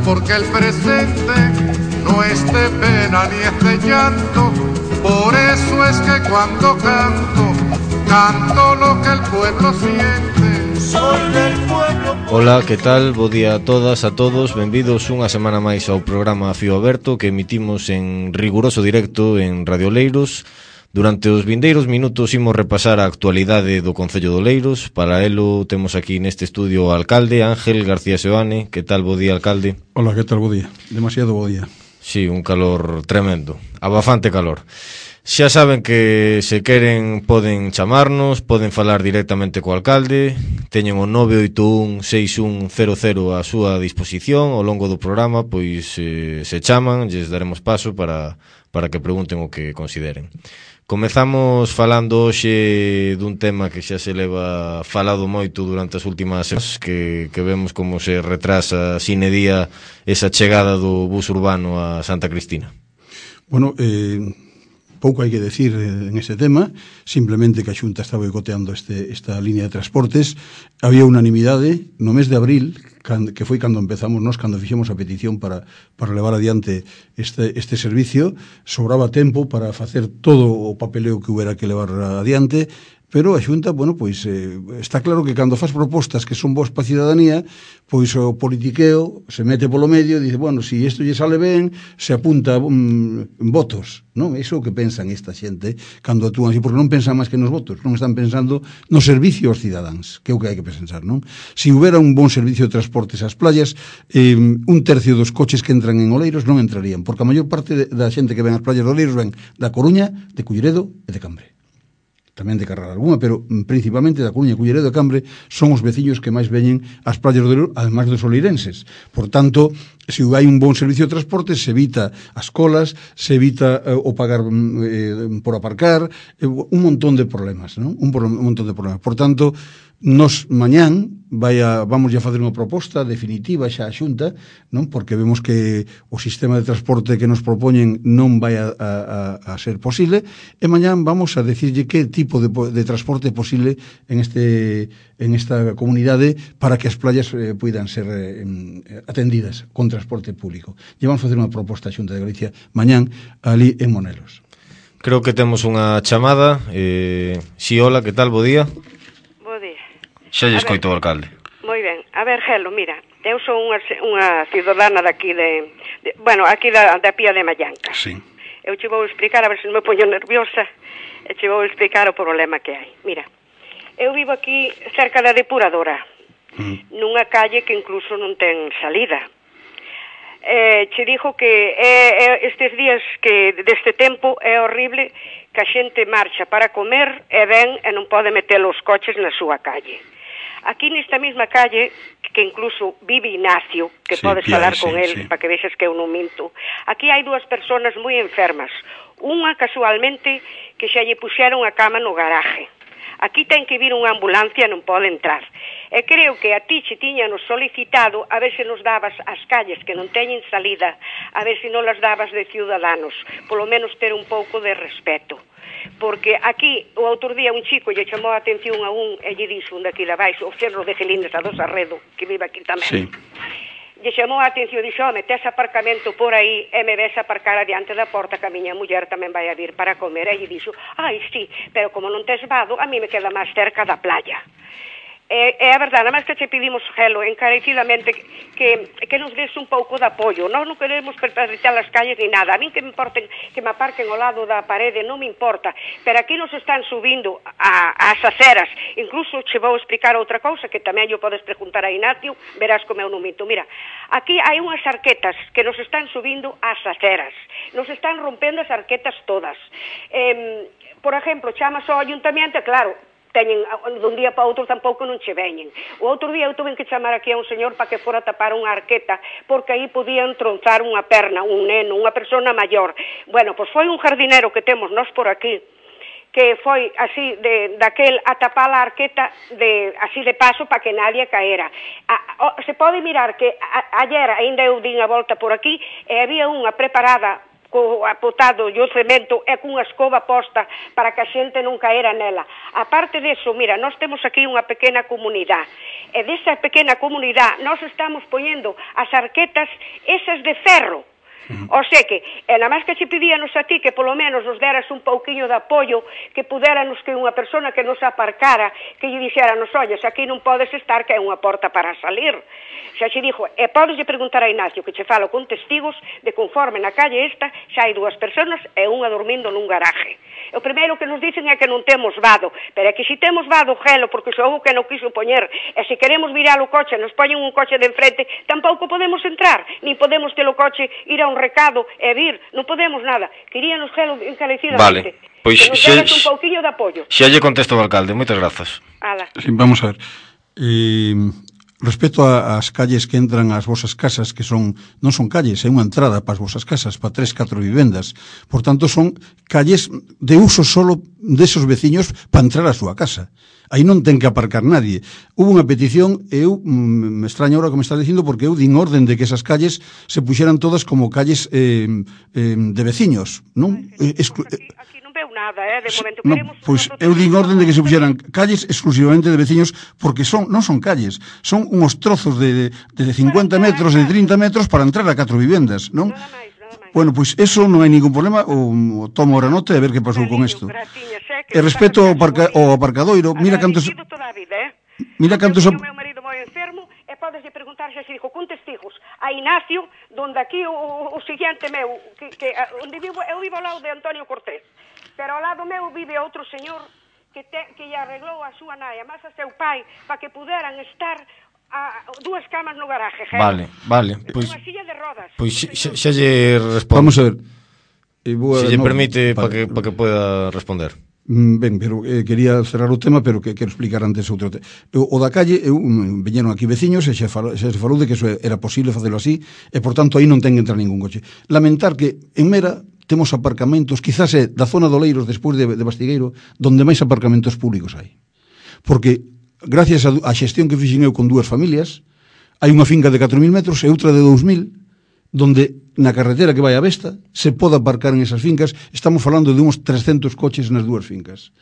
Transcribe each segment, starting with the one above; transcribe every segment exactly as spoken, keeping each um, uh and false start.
porque el presente no es de pena ni es de llanto. Por eso es que cuando canto, canto lo que el pueblo siente. Soy del pueblo. Ola, que tal? Bo día a todas, a todos. Benvidos unha semana máis ao programa Fío Aberto, que emitimos en riguroso directo en Radio Oleiros. Durante os vindeiros minutos imos repasar a actualidade do Concello de Oleiros. Para elo temos aquí neste estudio o alcalde Ángel García Seoane. Que tal? Bo día, alcalde. Hola, que tal? Bo día. Demasiado bo día. Sí, un calor tremendo, abafante calor. Xa saben que se queren poden chamarnos, poden falar directamente co alcalde. Teñen o nove oito un seis un cero cero a súa disposición. Ao longo do programa, pois eh, se chaman, lles daremos paso para, para que pregunten o que consideren. Comezamos falando hoxe dun tema que xa se leva falado moito durante as últimas semanas, que, que vemos como se retrasa sine día esa chegada do bus urbano a Santa Cristina. Bueno, eh, pouco hai que decir en ese tema, simplemente que a Xunta está boicoteando este, esta línea de transportes. Había unanimidade no mes de abril, que foi cando empezamos nós, cando fixemos a petición para, para levar adiante este, este servicio. Sobraba tempo para facer todo o papeleo que hubiera que levar adiante, pero a Xunta, bueno, pois eh, está claro que cando faz propostas que son boas para a ciudadanía, pois o politiqueo se mete polo medio e dice, bueno, se si isto lle sale ben, se apunta um, votos, non? Iso é o que pensan esta xente cando actúan así, porque non pensan máis que nos votos, non están pensando no servicio aos cidadáns, que é o que hai que pensar, non? Se houbera un bon servicio de transportes ás playas, eh, un tercio dos coches que entran en Oleiros non entrarían, porque a maior parte da xente que ven ás playas de Oleiros ven da Coruña, de Culleredo e de Cambre. Tamén de Carral algunha, pero principalmente da Coruña, Culleredo e Cambre son os veciños que máis veñen ás playas do Oleiros, además dos oleirenses. Por tanto, se hai un bon servicio de transporte, se evita as colas, se evita eh, o pagar eh, por aparcar, eh, un montón de problemas, non? Un, un montón de problemas. Por tanto, nos mañán vai a, vamos a facer unha proposta definitiva xa a Xunta, non? Porque vemos que o sistema de transporte que nos propoñen non vai a, a, a ser posible, e mañán vamos a decirlle que tipo de, de transporte é posible en, este, en esta comunidade para que as playas eh, puidan ser eh, atendidas con transporte público. E vamos a facer unha proposta a Xunta de Galicia mañán ali en Monelos. Creo que temos unha chamada. Eh, si, hola, que tal? Bo día. Xa lle escoito o alcalde. Moi ben. A ver, Gelo, mira, eu sou unha, unha cidadana daqui de, de... Bueno, aquí da, da Pía de Mallanca. Sí. Eu che vou explicar, a ver se non me poño nerviosa, e che vou explicar o problema que hai. Mira, eu vivo aquí cerca da depuradora, mm. nunha calle que incluso non ten salida. Eh, che dixo que eh, estes días que deste tempo é horrible que a xente marcha para comer e ven e non pode meter os coches na súa calle. Aquí nesta mesma calle, que incluso vive Ignacio, que sí, podes Pia, falar con sí, él, sí. para que vexes que eu non minto, aquí hai dúas personas moi enfermas. Unha, casualmente, que xa lle puxeron a cama no garaje. Aquí ten que vir unha ambulancia e non pode entrar. E creo que a ti che tiñanos solicitado a ver se nos dabas as calles que non teñen salida, a ver se non las dabas de ciudadanos, polo menos ter un pouco de respeto. Porque aquí, o outro día, un chico lle chamou a atención a un e lle dixo un daqui da baixo, o Cerro de Gelines a dos Arredo, que vive aquí tamén. Sí. Lle chamou a atención, dixo, home, tes aparcamento por aí e me ves aparcar adiante da porta que a miña muller tamén vai a vir para comer. E lle dixo, ai, sí, pero como non tes vado, a mí me queda máis cerca da playa. É, é a verdade, nada máis que che pedimos, Gelo, encarecidamente que, que nos des un pouco de apoio. Nós non queremos perpetuar as calles ni nada. A mí que me importen, que me aparquen ao lado da parede, non me importa. Pero aquí nos están subindo a, as aceras. Incluso che vou explicar outra cousa que tamén yo podes preguntar a Ignacio, verás como eu non minto. Mira, aquí hai unhas arquetas que nos están subindo as aceras. Nos están rompendo as arquetas todas. Eh, por exemplo, chamas ao ayuntamiento, claro, teñen, dun día para outro tampouco non che veñen. O outro día eu tuve que chamar aquí a un señor para que fora tapar unha arqueta, porque aí podían tronzar unha perna, un neno, unha persona maior. Bueno, pois foi un jardinero que temos nós por aquí, que foi así, de, daquel a tapar a arqueta de, así de paso para que nadie caera. A, o, se pode mirar que a, ayer ainda eu din a volta por aquí e había unha preparada co apotado e o cemento e cunha escoba posta para que a xente non caera nela. A parte deso, mira, nós temos aquí unha pequena comunidade, e desa pequena comunidade nós estamos poñendo as arquetas esas de ferro. O sea que, e nada máis que che pedíanos a ti que polo menos nos deras un pouquiño de apoio, que pudéranos que unha persona que nos aparcara, que lle dixéranos, olles, aquí non podes estar, que é unha porta para salir. Xa che dixo, e podes lle preguntar a Ignacio, que che falo con testigos de conforme na calle esta xa hai dúas personas e unha dormindo nun garaje. O primeiro que nos dicen é que non temos vado, pero é que se temos vado gelo, porque xa houve que non quiso poñer, e se queremos virar o coche, nos poñen un coche de enfrente, tampouco podemos entrar, nin podemos ter o coche ir a un recado e vir, non podemos nada. Queríanos gelo encarecidamente. Vale, pois que nos deras un pouquiño de apoio. Xa lle contesto ao alcalde, moitas grazas. Ala. Sí, vamos a ver. Eh, respecto ás calles que entran ás vosas casas, que son non son calles, é unha entrada para as vosas casas, para tres, catro vivendas. Por tanto, son calles de uso solo desos veciños para entrar á súa casa. Aí non ten que aparcar nadie. Hubo unha petición, eu me extraña ahora que me estás dicindo, porque eu din orden de que esas calles se puxeran todas como calles eh, eh, de veciños, non? Ay, Exclu- pues aquí, aquí non veu nada, eh, de momento no, queremos... pois eu din orden de que se puxeran calles exclusivamente de veciños, porque son non son calles, son uns trozos de, de, de cincuenta metros, de trinta metros para entrar a catro vivendas, non? Nada máis, nada máis. Bueno, pois eso non hai ningún problema, o, o tomo ahora nota e a ver que pasou con isto. E respecto ao, aparca, ao aparcadoiro, mira cantos... Mira cantos... O meu marido moi enfermo, e podes lle preguntar xa se dijo con testigos a Ignacio, donde aquí o, o, o siguiente meu, que, que onde vivo, eu vivo ao lado de Antonio Cortés, pero ao lado meu vive outro señor que, te, que lle arreglou a súa nai, máis a seu pai, para que puderan estar a dúas camas no garaje. Gente. Vale, vale. Pois, unha silla de rodas. Pois xa, xa lle respondo. Vamos a ver. E Se lle no, permite para que, pa que poda responder. Ben, pero eh, quería cerrar o tema, pero que quero explicar antes outro tema. O, o da calle, eu, um, veñeron aquí veciños e xa, falo, xa se falou de que eso era posible facelo así, e por tanto aí non ten que entrar ningún coche. Lamentar que en Mera temos aparcamentos, quizás é da zona do Leiros, despois de, de Bastigueiro, donde máis aparcamentos públicos hai. Porque, gracias a, a xestión que fixen eu con dúas familias, hai unha finca de catro mil metros e outra de dous mil, donde na carretera que vai a Vesta se pode aparcar en esas fincas. Estamos falando de uns trescentos coches nas dúas fincas.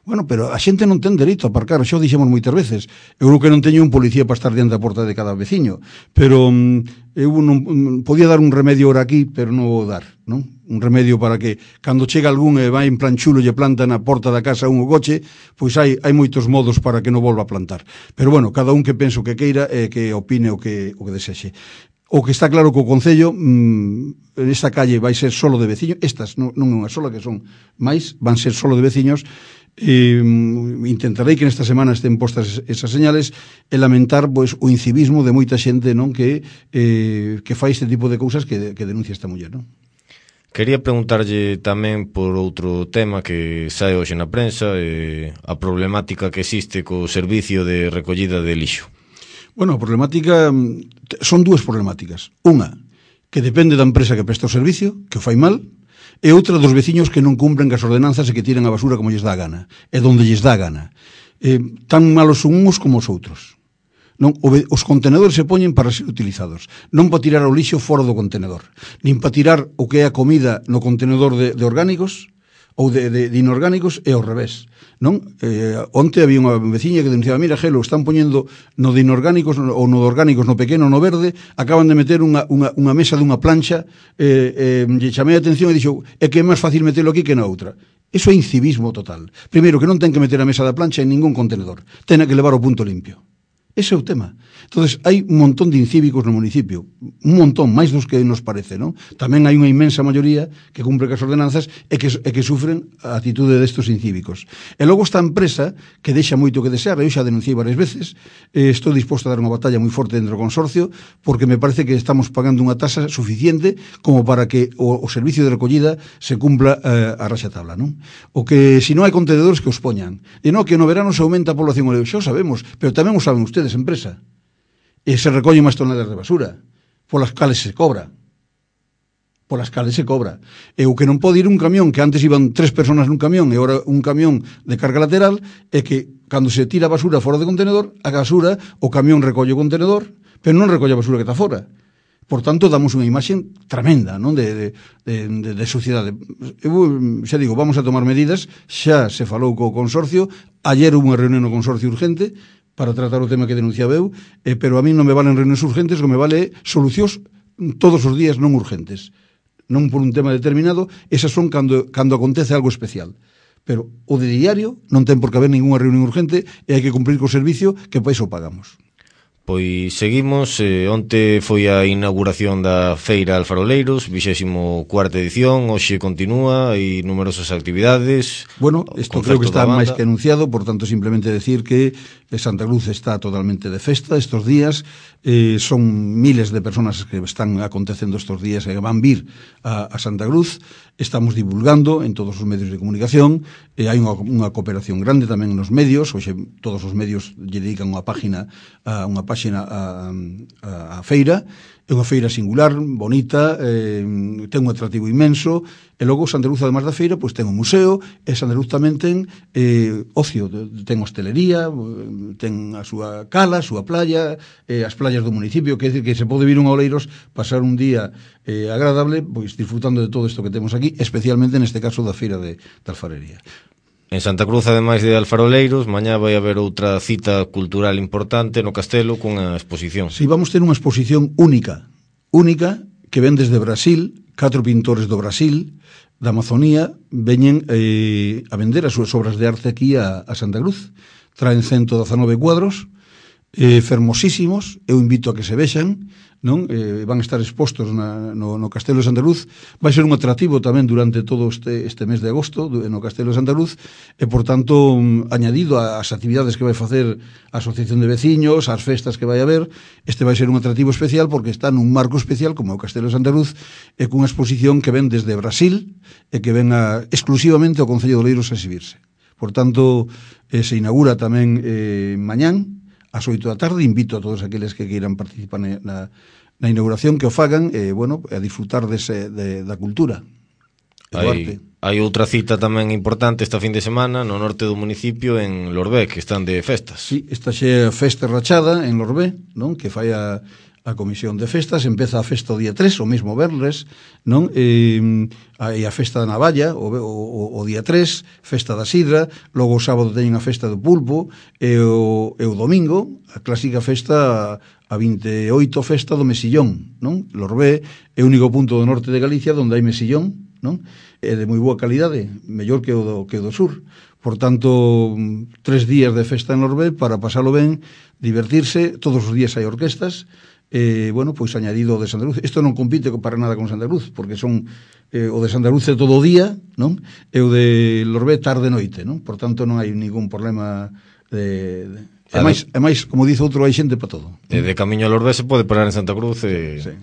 Bueno, pero a xente non ten dereito a aparcar, xa o dixemos moitas veces. Eu creo que non teño un policía para estar diante da porta de cada veciño, pero um, eu non um, podía dar un remedio ahora aquí, pero non vou dar, non? Un remedio para que cando chega algún e vai en plan chulo e planta na porta da casa un o coche, pois hai hai moitos modos para que non volva a plantar. Pero bueno, cada un que penso que queira e que opine o que o que desexe. O que está claro que o Concello mmm, esta calle vai ser solo de veciños, estas non, non é unha sola, que son máis, van ser solo de veciños. E, mm, intentarei que nesta semana estén postas esas señales e lamentar pois, o incivismo de moita xente, non, que eh, que fai este tipo de cousas que, que denuncia esta muller, non? Quería preguntarlle tamén por outro tema que sae hoxe na prensa, eh, a problemática que existe co servicio de recollida de lixo. Bueno, a problemática son dúas problemáticas. Unha, que depende da empresa que presta o servicio, que o fai mal, e outra dos veciños que non cumpren as ordenanzas e que tiran a basura como lles dá a gana, e donde lles dá a gana. Eh, tan malos son uns como os outros. Non, os contenedores se poñen para ser utilizados, non para tirar o lixo fora do contenedor, nin para tirar o que é a comida no contenedor de, de orgánicos ou de, de, de inorgánicos, e ao revés, non? Eh, onte había unha veciña que denunciaba, mira, Gelo, están poñendo no de inorgánicos ou no de orgánicos, no pequeno, no verde, acaban de meter unha, unha, unha mesa dunha plancha, eh, eh, lle chamei a atención e dixo, é que é máis fácil metelo aquí que na outra. Iso é incivismo total. Primeiro, que non ten que meter a mesa da plancha en ningún contenedor, ten que levar o punto limpio. Ese é o tema. Entonces, hai un montón de incívicos no municipio, un montón, máis dos que nos parece, non? Tamén hai unha inmensa maioría que cumpre as ordenanzas e que, e que sufren a atitude destos incívicos. E logo esta empresa, que deixa moito que desear, eu xa denunciei varias veces, eh, estou disposto a dar unha batalla moi forte dentro do consorcio, porque me parece que estamos pagando unha tasa suficiente como para que o, o servicio de recollida se cumpla eh, a raxatabla, non? O que, se non hai contenedores, que os poñan. E non, que no verano se aumenta a población, xa o sabemos, pero tamén o saben ustedes, empresa. E se recollen máis toneladas de basura, polas cales se cobra. Polas cales se cobra. E o que non pode ir un camión, que antes iban tres personas nun camión e agora un camión de carga lateral, é que cando se tira a basura fora do contenedor, a basura, o camión recolle o contenedor, pero non recolle a basura que está fora. Por tanto, damos unha imaxe tremenda, non, de, de, de, de sociedade. Eu xa digo, vamos a tomar medidas, xa se falou co consorcio, ayer hubo unha reunión no consorcio urgente para tratar o tema que denunciaba eu, eh, pero a mí non me valen reunións urgentes, o que me vale solucións todos os días non urgentes. Non por un tema determinado, esas son cando, cando acontece algo especial. Pero o de diario non ten por que haber ninguna reunión urgente e hai que cumprir co servicio que para iso pagamos. Pois seguimos, eh, onte foi a inauguración da Feira Alfaroleiros, vixésimo cuarta edición, hoxe continúa, hai numerosas actividades. Bueno, isto creo que está máis que anunciado, por tanto simplemente decir que Santa Cruz está totalmente de festa estos días, eh, son miles de personas que están acontecendo estos días e van vir a, a Santa Cruz, estamos divulgando en todos os medios de comunicación, e hai unha, unha cooperación grande tamén nos medios, hoxe todos os medios lle dedican unha página a unha página a, a, a feira, é unha feira singular, bonita, eh, ten un atractivo inmenso, e logo Santa Cruz, además da feira, pois ten un museo, e Santa Cruz tamén ten eh, ocio, ten hostelería, ten a súa cala, a súa playa, eh, as playas do municipio, que é dicir que se pode vir un a Oleiros, pasar un día eh, agradable, pois disfrutando de todo isto que temos aquí, especialmente neste caso da feira de, de alfarería. En Santa Cruz, ademais de Alfaroleiros, mañá vai haber outra cita cultural importante no Castelo cunha exposición. Si, sí, vamos ter unha exposición única, única, que ven desde Brasil, catro pintores do Brasil, da Amazonía, veñen eh, a vender as súas obras de arte aquí a, a Santa Cruz. Traen ciento dezanove cuadros, eh, fermosísimos, eu invito a que se vexan, non? Eh, van a estar expostos na, no, no Castelo de Santa Cruz, vai ser un atractivo tamén durante todo este, este mes de agosto no Castelo de Santa Cruz, e por tanto añadido ás actividades que vai facer a Asociación de Veciños, ás festas que vai haber, este vai ser un atractivo especial porque está nun marco especial como o Castelo de Santa Cruz, e cunha exposición que ven desde Brasil e que ven a, exclusivamente ao Concello de Oleiros a exhibirse. Por tanto, eh, se inaugura tamén eh, mañán ás oito da tarde. Invito a todos aqueles que queiran participar na, na inauguración que o fagan, e, bueno, a disfrutar dese, de, da cultura e do arte. Hai outra cita tamén importante esta fin de semana no norte do municipio, en Lorbé, que están de festas. Sí, esta xe festa rachada en Lorbé, non? Que fai a, a comisión de festas, empeza a festa o día tres, o mesmo verles, non? E, e a festa da Navalla, o, o, o día tres, festa da Sidra, logo o sábado teñen a festa do Pulpo, e o, e o domingo, a clásica festa, a vinte e oito festa do Mesillón, non? Lorbé é o único punto do norte de Galicia onde hai mesillón, non? É de moi boa calidade, mellor que o do, que o do sur. Por tanto, tres días de festa en Lorbé para pasalo ben, divertirse, todos os días hai orquestas, eh, bueno, pois añadido o de Santa Cruz. Isto non compite para nada con Santa Cruz, porque son eh, o de Santa Cruz é todo o día, non? E o de Lorbé tarde e noite, non? Por tanto, non hai ningún problema de... de... E máis, e máis, como dice outro, hai xente para todo. E de camiño a Lorbé se pode parar en Santa Cruz e... Sí, sí.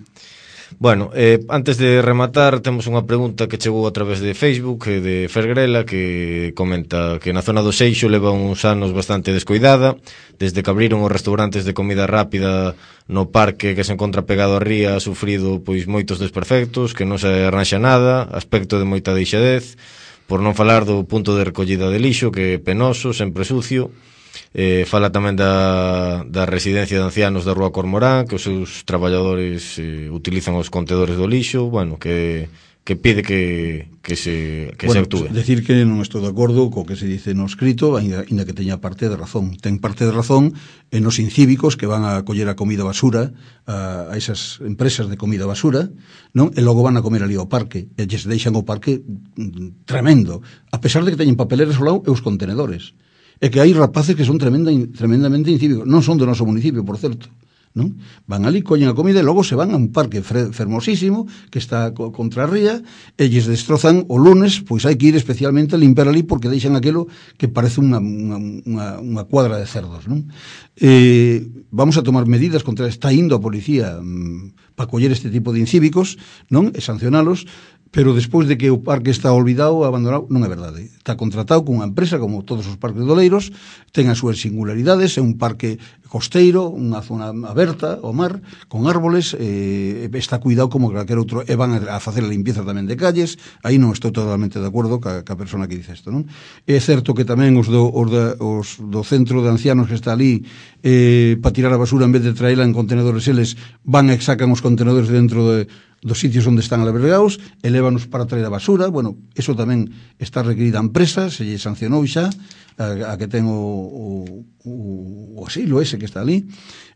Bueno, eh, antes de rematar, temos unha pregunta que chegou a través de Facebook, eh, de Fergrela, que comenta que na zona do Seixo leva uns anos bastante descoidada, desde que abriron os restaurantes de comida rápida no parque que se encontra pegado a ría, ha sufrido pois moitos desperfectos, que non se arranxa nada, aspecto de moita deixadez, por non falar do punto de recollida de lixo, que é penoso, sempre sucio. Eh, fala tamén da, da residencia de ancianos da Rúa Cormorán, que os seus traballadores eh, utilizan os contedores do lixo, bueno, que, que pide que, que se, que bueno, se actúe. Decir que non estou de acordo co que se dice no escrito, ainda, ainda que teña parte de razón. Ten parte de razón en os incívicos que van a coller a comida basura a, a esas empresas de comida basura, non? E logo van a comer ali ao parque, e lles deixan o parque mm, tremendo, a pesar de que teñen papeleras ao lado e os contenedores. É que hai rapaces que son tremenda, tremendamente incívicos, non son do noso municipio, por certo, non? Van ali, collen a comida e logo se van a un parque fermosísimo que está co, contra a ría, e lles destrozan o lunes, pois hai que ir especialmente a limpiar ali porque deixan aquilo que parece unha, unha, unha, unha cuadra de cerdos, non? Eh, vamos a tomar medidas contra, está indo a policía mm, para coller este tipo de incívicos, non? E sancionalos, pero despois de que o parque está olvidado, abandonado, non é verdade. Está contratado cunha empresa, como todos os parques de Oleiros, ten as súas singularidades, é un parque costeiro, unha zona aberta ao mar, con árboles, eh, está cuidado como calquer outro, e van a facer a limpieza tamén de calles, aí non estou totalmente de acordo ca, ca persona que dice isto, non? É certo que tamén os do, os, da, os do centro de ancianos que está ali, eh, para tirar a basura, en vez de traela en contenedores, eles van e sacan os contenedores dentro de dos sitios onde están albergados, elévanos para traer a basura. Bueno, eso tamén está requerida a empresa, se lle sancionou xa a, a que ten o, o, o asilo ese que está ali,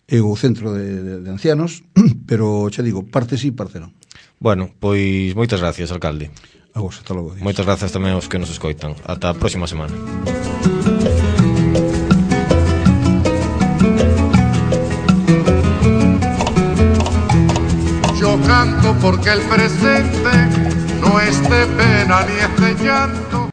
e o centro de, de, de ancianos, pero xa digo, parte sí, parte non. Bueno, pois moitas gracias, alcalde. A vos, hasta logo. Moitas gracias tamén aos que nos escoitan. Ata a próxima semana. Yo canto porque el presente no es de pena ni es de llanto.